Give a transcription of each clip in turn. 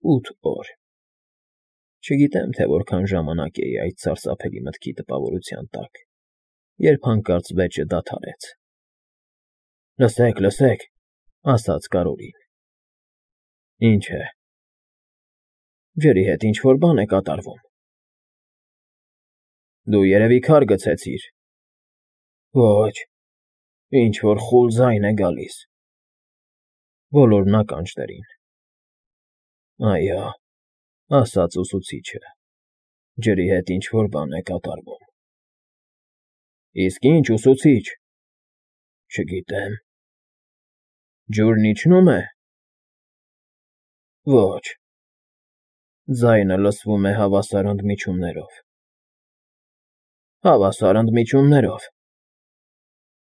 8 օր։ Չգիտեմ, թե որքան ժամանակ էի այդ սարսափելի մտքի տպավորության տակ, երբ հանկարծ վեճը դադարեց։ Լսեք, լսեք, ասաց Կարոլին։ Ինչ է։ Ջրի հետ ինչ-որ բան է կատարվում։ Դու երևի քար գցեցիր։ Ոչ, ինչ-որ խուլ ձայն է գալիս։ Բոլորն ականջ դրին։ Այո, ասաց ուսուցիչը, ջրի հետ ինչ-որ բան է կատարվում։ Իսկ ինչ, ուսուցիչ։ Չգիտեմ։ Ջուրն իջնում է։ Ոչ։ Ձայնը լսվում է հավասար ընդմիջումներով։ Հավասար ընդմիջումներով։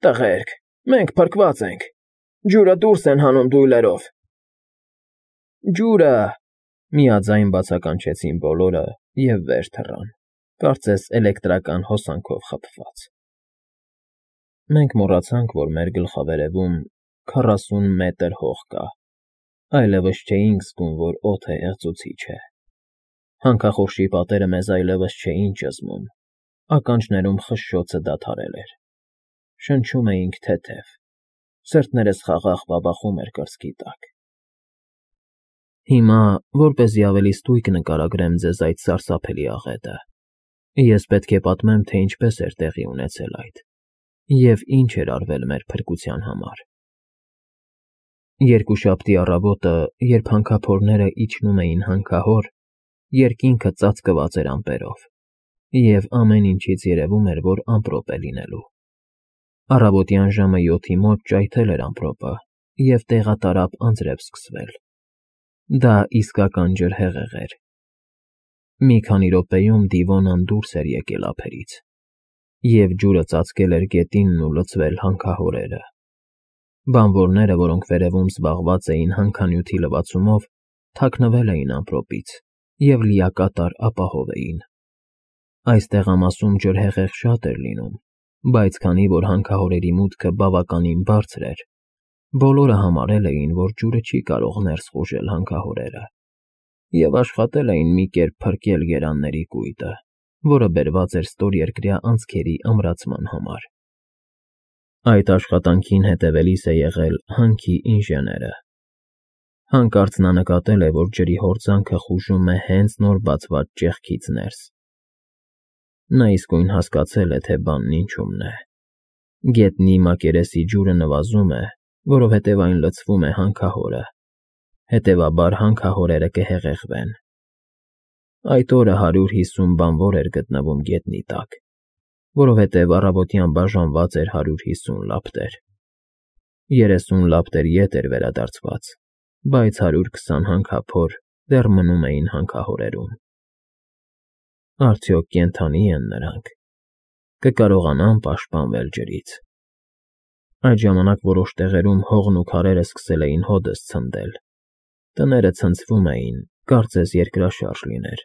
Տղերք, մենք փրկված ենք։ Ջուրը դուրս են հանում դույլերով։ Ջուրը… Միաձայն բացականչեցին բոլորը և վեր թռան, կարծես էլեկտրական հոսանքով խփված։ Մենք մոռացանք, որ մեր գլխավերևում 40 մետր հող կա, այլևս չէինք զգում, որ օդը հեղձուցիչ է։ Հանքախորշի պատերը մեզ այլևս չէին ճզմում, ականջներում խշշոցը դադարել էր։ Շնչում էինք թեթև, սրտներս խաղաղ բաբախում էր կրծքի տակ։ Հիմա, որպեսզի ավելի ստույգ նկարագրեմ ձեզ այդ սարսափելի աղետը, ես պետք է պատմեմ, թե ինչպես էր տեղի ունեցել այդ, և ինչ էր արվել մեր փրկության համար։ Երկուշաբթի առավոտը, երբ հանքափորները իջնում էին հանքահոր, երկինքը ծածկված էր ամպերով, և ամեն ինչից երևում էր, որ ամպրոպ է լինելու։ Առավոտյան ժամը 7-ի մոտ ճայթել էր ամպրոպը, և տեղատարափ անձրև սկսվել։ Դա իսկական ջրհեղեղ էր։ Մի քանի րոպեում Դիվոնան դուրս էր եկել ափերից, և ջուրը ծածկել էր գետինն ու լցվել հանքահորերը։ Բանվորները, որոնք վերևում զբաղված էին հանքանյութի լվացումով, թաքնվել էին ամպրոպից և լիակատար ապահով էին։ Այս տեղամասում ջրհեղեղ շատ էր լինում, բայց քանի որ հանքահորերի մուտքը բավականին բարձր էր, բոլորը համարել էին, որ ջուրը չի կարող ներս խուժել հանքահորերը, և աշխատել էին մի կերպ փրկել գերանների կույտը, որը բերված էր ստորերկրյա անցքերի ամրացման համար։ Այդ աշխատանքին հետևելիս է եղել հանքի ինժեները։ Հանկարծ նա նկատել է, որ ջրի հորձանքը խուժում է հենց նոր բացված ճեղքից ներս։ Նա իսկույն հասկացել է, թե բանն ինչումն է։ Գետնի մակերեսի ջուրը նվազում է, որովհետև այն լցվում է հանքահորը, հետևաբար հանքահորերը կհեղեղվեն։ Այդ օրը 150 բանվոր էր գտնվում գետնի տակ, որովհետև առավոտյան բաժանված էր 150 լապտեր։ 30 լապտեր ետ էր վերադարձված, բայց 120 հանքափոր դեռ մնում էին հանքահորերում։ Արդյոք կենդանի են նրանք։ Կկարողանա՞ն պաշտպանվել ջրից։ Այդ ժամանակ որոշ տեղերում հողն ու քարերը սկսել էին հօդս ցնդել։ Տները ցնցվում էին, կարծես երկրաշարժ լիներ։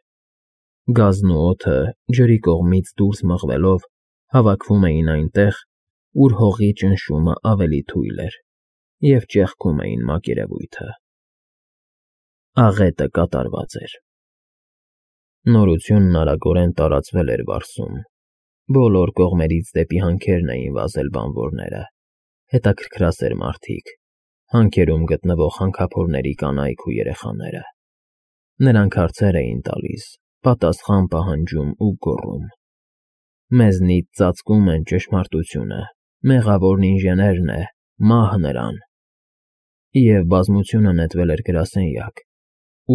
Գազն ու օդը, ջրի կողմից դուրս մղվելով, հավաքվում էին այնտեղ, ուր հողի ճնշումը ավելի թույլ էր, և ճեղքում էին մակերևույթը։ Աղետը կատարված էր։ Նորությունն արագորեն տարածվել էր Բարսում։ Բոլոր կողմերից դեպի հանքերն էին վազել բանվորները, հետաքրքրասեր մարդիկ, հանքերում գտնվող հանքափորների կանայք ու երեխաները։ Նրանք հարցեր էին տալիս, պատասխան պահանջում ու գոռում. Մեզնից ծածկում են ճշմարտությունը, մեղավորն ինժեներն է, մահ նրան։ Եվ բազմությունը նետվել էր գրասենյակ,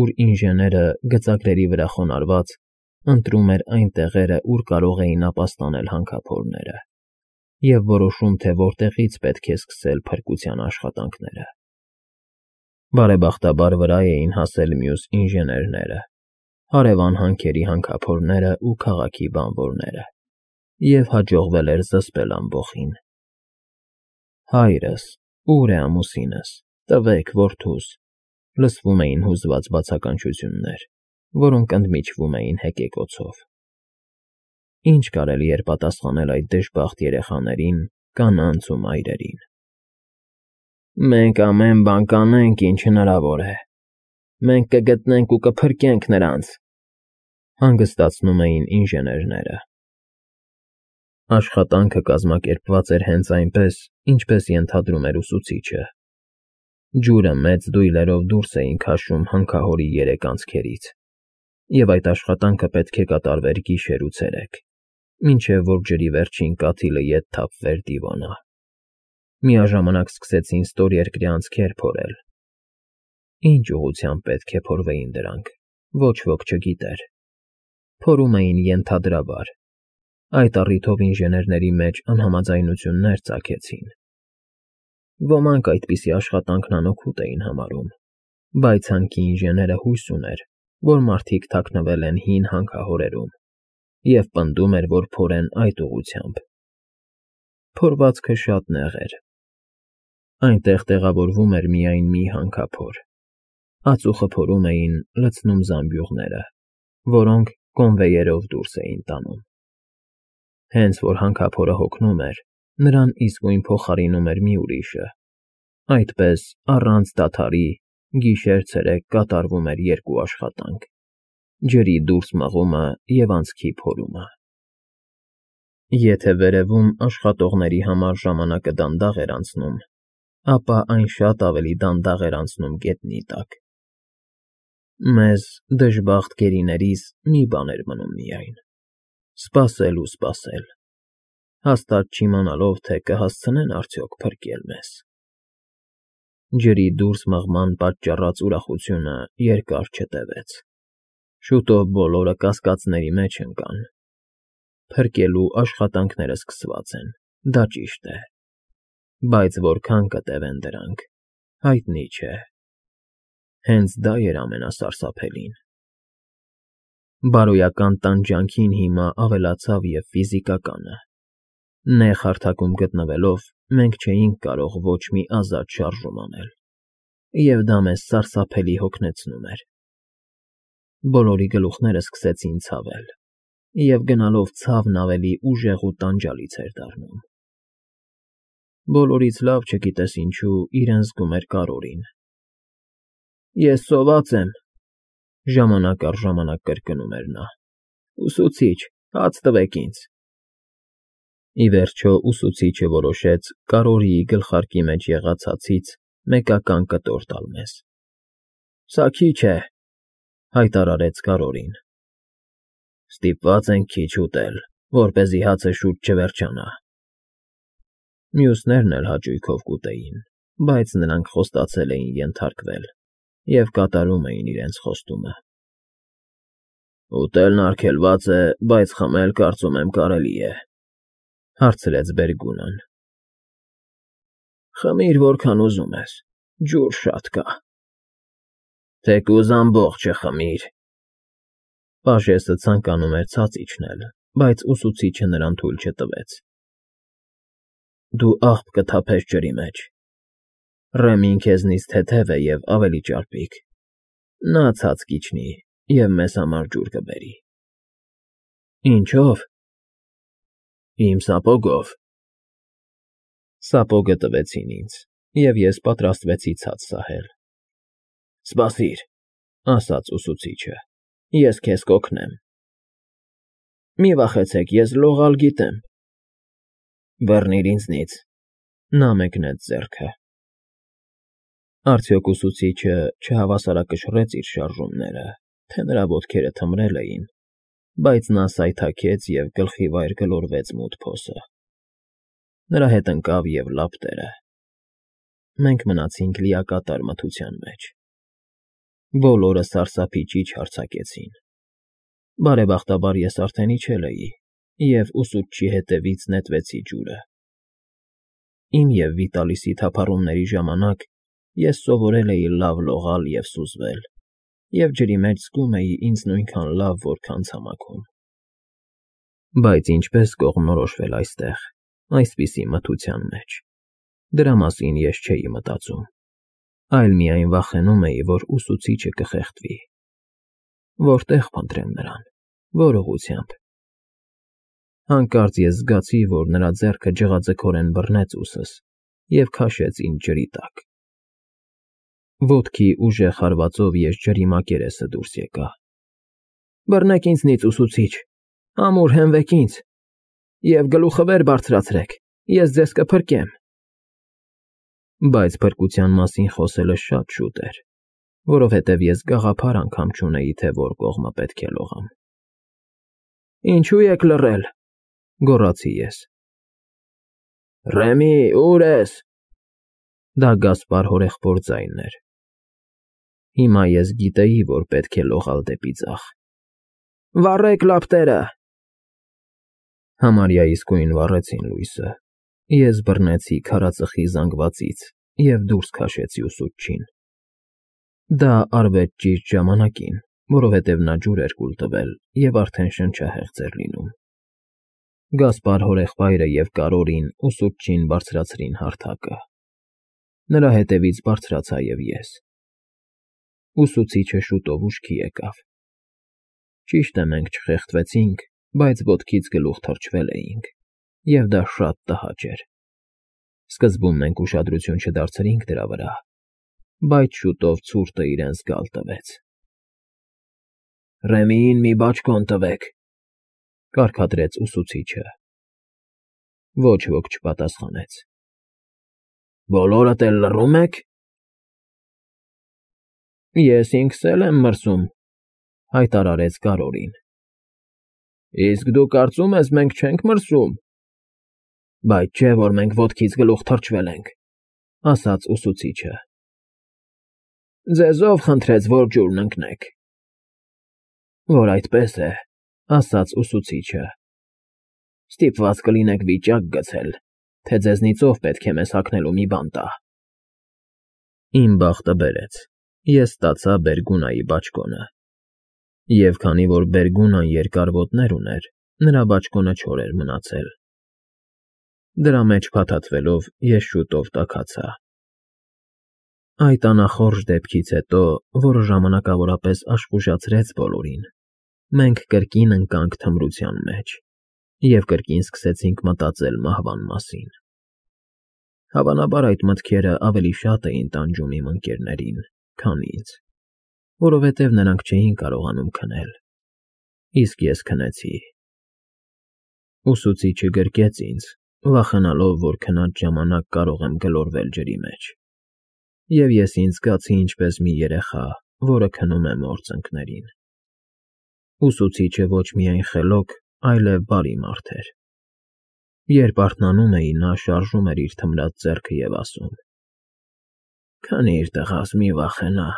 ուր ինժեները, գծագրերի վրա խոնարհված, ընտրում էր այն տեղերը, ուր կարող էին ապաստանել հանքափորները, և որոշում, թե որտեղից պետք է սկսել փրկության աշխատանքները։ Բարեբախտաբար վրա էին հասել մյուս ինժեներները, հարևան հանքերի հանքափորները ու քաղաքի բանվորները, և հաջողվել էր զսպել ամբոխին։ Հայրս, ո՞ւր է ամուսինս, տվեք որդուս, լսվում էին հուզված բացականչություններ, որոնք ընդմիջվում էին հեկեկոցով։ Ինչ կարելի էր պատասխանել այդ դժբախտ երեխաներին, կանանց ու մայրերին։ Մենք ամեն բան կանենք, ինչ հնարավոր է, Մենք կգտնենք ու կփրկենք նրանց, հանգստացնում էին ինժեներները։ Աշխատանքը կազմակերպված էր հենց այնպես, ինչպես ենթադրում էր ուսուցիչը։ Ջուրը մեծ դույլերով դուրս էին քաշում հանքահորի երեք անցքերից, և այդ աշխատանքը պետք է կատարվեր գիշեր ու ցերեկ, մինչև որ ջրի վերջին կաթիլը ետ թափվեր դիվանա։ Միաժամանակ սկսեցին ստորերկրյա անցքեր փորել։ Ինչ ուղղությամբ պետք է փորվեին դրանք, ոչ ոք չգիտեր։ Փորում էին ենթադրաբար։ Այդ առիթով ինժեներների մեջ անհամաձայնություններ ծագեցին։ Ոմանք այդպիսի աշխատանքն անօգուտ էին համարում, բայց հանքի ինժեները հույս ուներ, որ մարդիկ թաքնվել են հին հանքահորերում, և պնդում էր, որ փորեն այդ ուղղությամբ։ Փորվածքը շատ նեղ էր։ Այնտեղ տեղավորվում էր միայն մի հանքափոր։ Ածուխը փորում էին լցնում զամբյուղները, որոնք կոնվեյերով դուրս էին տանում։ Հենց որ հանքափորը հոգնում էր, նրան իսկույն փոխարինում էր մի ուրիշը։ Այդպես, առանց դադարի, գիշեր֊ցերեկ կատարվում էր երկու աշխատանք՝ ջրի դուրս մղումը և անցքի փորումը։ Եթե վերևում աշխատողների համար ժամանակը դանդաղ էր անցնում, ապա այն շատ ավելի դանդաղ էր անցնում գետնի տակ։ Մեզ, դժբախտ գերիներիս, մի բան էր մնում միայն՝ սպասել ու սպասել, հաստատ չիմանալով, թե կհասցնեն արդյոք փրկել մեզ։ Ջրի դուրս մղման պատճառած ուրախությունը երկար չտևեց։ Շուտով բոլորը կասկածների մեջ ընկան։ Փրկելու աշխատանքները սկսված են, դա ճիշտ է, բայց որքան կտևեն դրանք, հայտնի չէ։ Հենց դա էր ամենասարսափելին։ Բարոյական տանջանքին հիմա ավելացավ և ֆիզիկականը։ Նեղ հարթակում գտնվելով՝ մենք չէինք կարող ոչ մի ազատ շարժում անել, և դա մեզ սարսափելի հոգնեցնում էր։ Բոլորի գլուխները սկսեցին ցավել, և գնալով ցավն ավելի ուժեղ ու տանջալից էր դառնում։ Բոլորից լավ, չգիտես ինչու, իրեն զգում էր Կարրորին։ «Ես սոված եմ», ժամանակ առ ժամանակ կրկնում էր նա։ «Ուսուցիչ, հաց տվեք ինձ»։ Ի վերջո ուսուցիչը որոշեց Կարրորիի գլխարկի մեջ եղած հացից մեկական կտոր տալ մեզ։ «Սա քիչ է», հայտարարեց Կարրորին։ «Ստիպված ենք քիչ ուտել, որպեսզի հացը շուտ չվերջանա»։ Մյուսներն էլ հաճույքով կուտեին, բայց նրանք խոստացել էին ենթարկվել և կատարում էին իրենց խոստումը։ «Ուտելն արգելված է, բայց խմել, կարծում եմ, կարելի է», հարցրեց Բերգունան։ «Խմիր, որքան ուզում ես, ջուր շատ կա»։ «Թեկուզ ամբողջը խմիր»։ Պաժեսը ցանկանում էր ցած իջնել, բայց ուսուցիչը նրան թույլ չտվեց։ «Դու աղբ կթափես ջրի մեջ։ Ռեմին քեզնից թեթև է և ավելի ճարպիկ։ Նա ցած կիջնի և մեզ համար ջուր կբերի»։ «Ինչո՞վ»։ «Իմ սապոգով»։ Սապոգը տվեցին ինձ, և ես պատրաստվեցի ցած սահել։ «Սպասիր», ասաց ուսուցիչը, «ես քեզ կօգնեմ»։ «Մի վախեցեք, ես լողալ գիտեմ»։ «Բռնիր ինձնից»։ Նա մեկնեց ձեռքը։ Արդյոք ուսուցիչը չհավասարակշռեց իր շարժումները, թե նրա ոտքերը թմրել էին, բայց նա սայթաքեց և գլխի վայր գլորվեց մութ փոսը։ Նրա հետ ընկավ և լապտերը։ Մենք մնացինք լիակատար մթության մեջ։ Բոլորը սարսափի ճիչ արձակեցին։ Բարեբախտաբար ես արդեն իջել էի, և ուսուցչի հետևից նետվեցի ջուրը։ Իմ և Վիտալիսի թափառումների ժամանակ ես սովորել էի լավ լողալ և սուզվել, և ջրի մեջ զգում էի ինձ նույնքան լավ, որքան ցամաքում։ Բայց ինչպես կողմնորոշվել այստեղ, այսպիսի մթության մեջ, դրա մասին ես չէի մտածում, այլ միայն վախենում էի, որ ուսուցիչը կխեղդվի։ Որտե՞ղ փնտրեմ նրան, որ ուղղությամբ։ Հանկարծ ես զգացի, որ նրա ձեռքը ջղաձգորեն բռնեց ուսս և քաշեց ինձ ջրի տակ։ Ոտքի ուժեղ հարվածով ես ջրի մակերեսը դուրս եկա։ Բռնեք ինձնից, ուսուցիչ, ամուր հենվեք ինձ, և գլուխը վեր բարձրացրեք, ես ձեզ կփրկեմ։ Բայց փրկության մասին խոսելը շատ շուտ էր, որովհետև ես գաղափար անգամ չունեի, թե որ կողմը պետք է լողամ։ Ինչու եք լռել, գոռացի ես։ Ռեմի, ուր ես։ Դա Գասպար հորեղբոր ձայնն էր։ Հիմա ես գիտեի, որ պետք է լողալ դեպի ձախ։ Վառեք լապտերը։ Համարյա իսկույն վառեցին լույսը։ Ես բռնեցի քարածխի զանգվածից և դուրս քաշեցի ուսուցչին։ Դա արվեց ճիշտ ժամանակին, որովհետև նա ջուր էր կուլ տվել և արդեն շնչահեղձ էր լինում։ Գասպար հորեղբայրը և Կարորին ուսուցչին բարձրացրին հարթակը։ Նրա հետևից բարձրացա և ես։ Ուսուցիչը շուտով ուշքի եկավ։ Ճիշտ է, մենք չխեղդվեցինք, բայց ոտքից գլուխ թռչվել էինք, և դա շատ տհաճ էր։ Սկզբում մենք ուշադրություն չդարձրինք դրա վրա, բայց շուտով ցուրտը իրեն զգալ տվեց։ Ռեմիին մի բաճկոն տվեք, կարգադրեց ուսուցիչը։ Ոչ ոք չպատասխանեց։ Բոլորդ էլ լռում եք։ Ես ինքս էլ եմ մրսում, հայտարարեց Կարորին։ Իսկ դու կարծում ես, մենք չենք մրսում։ Բայց չէ, որ մենք ոտքից գլուխ թռչվել ենք, ասաց ուսուցիչը։ Ձեզ ով խնդրեց, որ ջուրն ընկնեք։ Որ այդպես է, ասաց ուսուցիչը։ Ստիպված կլինեք վիճակ գցել, թե ձեզնից ով պետք է մեզ հագնելու մի բան տա։ Իմ բախտը բերեց։ Ես ստացա Բերգունայի բաճկոնը։ Եվ քանի որ Բերգունան երկար ոտներ ուներ, նրա բաճկոնը չոր էր մնացել։ Դրա մեջ փաթաթվելով ես շուտով տաքացա։ Այդ անախորժ դեպքից հետո, որը ժամանակավորապես աշխուժացրեց բոլորին, մենք կրկին ընկանք թմրության մեջ և կրկին սկսեցինք մտածել մահվան մասին։ Հավանաբար այդ մտքերը ավելի շատ էին տանջում իմ ընկերներին, քան ինձ, որովհետև նրանք չէին կարողանում քնել, իսկ ես քնեցի։ Ուսուցիչը գրկեց ինձ, վախենալով, որ քնած ժամանակ կարող եմ գլորվել ջրի մեջ, և ես ինձ զգացի ինչպես մի երեխա, որը քնում է մոր ծնկներին։ Ուսուցիչը ոչ միայն խելոք, այլև բարի մարդ էր։ Երբ արթնանում էի, նա շարժում էր իր թմրած ձեռքը և ասում. Քնիր, տղաս, մի վախենա,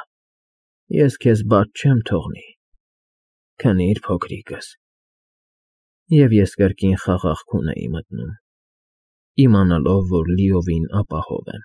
ես քեզ բաց չեմ թողնի, քնիր, փոքրիկս։ Եվ ես կրկին խաղաղ քուն էի մտնում, իմանալով, որ լիովին ապահով եմ։